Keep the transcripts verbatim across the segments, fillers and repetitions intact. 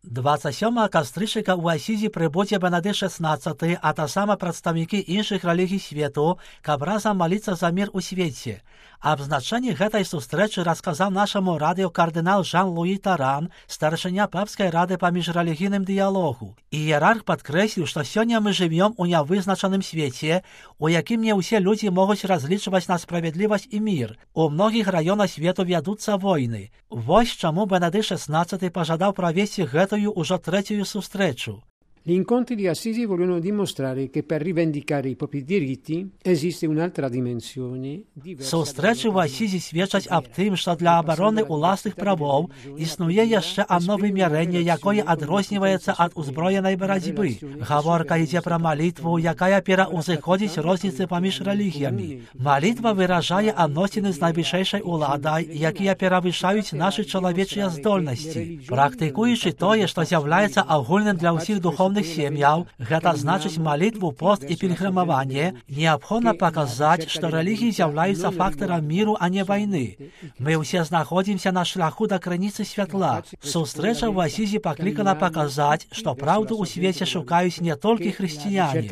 двадцять сьомого кастрычніка ў Асізі прыбудзе Бенедыкт шестнадцаты, а таксама прадстаўнікі іншых рэлігій свету, каб разам маліцца за мір у свеце. Аб значэнні гэтай сустрэчы расказаў нашаму радыё кардынал Жан-Луі Таран, старшыня папскай рады па міжрэлігійным дыялогу. Іерарх падкрэсліў, што сёння мы жывём у нявызначаным свеце, у якім не ўсе людзі могуць разлічваць на справядлівасць і мір. У многіх раёнах свету вядуцца войны. Вось чаму Бенедыкт шестнадцаты пажадаў правесці гэтую ўжо трэцюю сустрэчу. Gli incontri di Assisi vogliono dimostrare che per rivendicare i propri diritti esiste un'altra dimensione diversa. Сустрэчы ў Асізі сведчаць аб тым, што для абароны ўласных правоў існуе яшчэ адно вымярэнне, якое адрозніваецца ад узброенай барацьбы. Гаворка ідзе пра малітву, якая пераўзыходзіць розніцы паміж рэлігіямі. Малітва выражае адносіны з найвышэйшай уладай, якія перавышаюць нашы чалавечыя здольнасці. Практыкуючы тое, што з'яўляецца агульным для ўсіх духовных сем'яў, гэта значыць малітву, пост і пільгрымаванне, неабходна паказаць, што рэлігіі з'яўляюцца фактарам міру, а не вайны. Мы ўсе знаходзімся на шляху да крыніцы святла. Сустрэча ў Асізі паклікана паказаць, што праўду ў свеце шукаюць не толькі хрысціяне.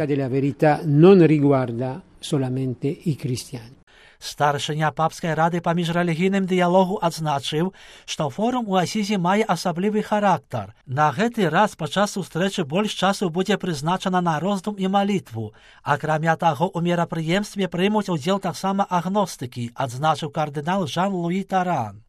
Старшыня папскай рады па міжрэлігійным дыялогу адзначыў, што форум у Асізі мае асаблівы характар. На гэты раз падчас сустрэчы больш часу будзе прызначана на роздум і малітву. Акрамя таго, у мерапрыемстве прымуць удзел таксама агностыкі, адзначыў кардынал Жан-Луі Таран.